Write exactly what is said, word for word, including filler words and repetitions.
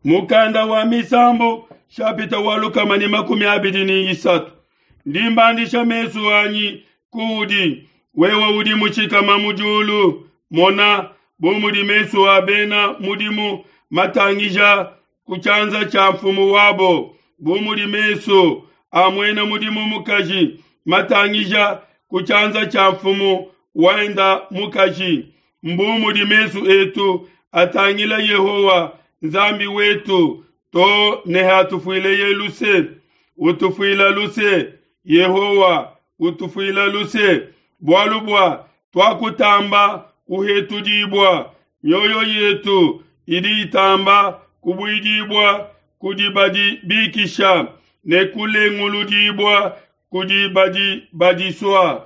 Mukanda wa Misambu shapita wa lukama ne makumi abidi ne isatu. Ndi mbandisha mesu anyi kuudi, wewe udi mushikama mu diulu. Mona, bu mudi mesu a bena mudimu matangija ku tshianza tshia mfumu wabo, bu mudi mesu a muena mudimu mukaji matangija ku tshianza tshia mfumu wenda mukaji, mbu mudi mesu etu atangila Yehowa Nzambi wetu to ne hatufuileye luse. Utufuila luse, Yehowa, utufuila luse, bualu bua tuakutamba kuhetudibua, mioyo yetu idi itamba kubuidibua kudi badi bikisha ne kulenguludibua kudi badi badisua.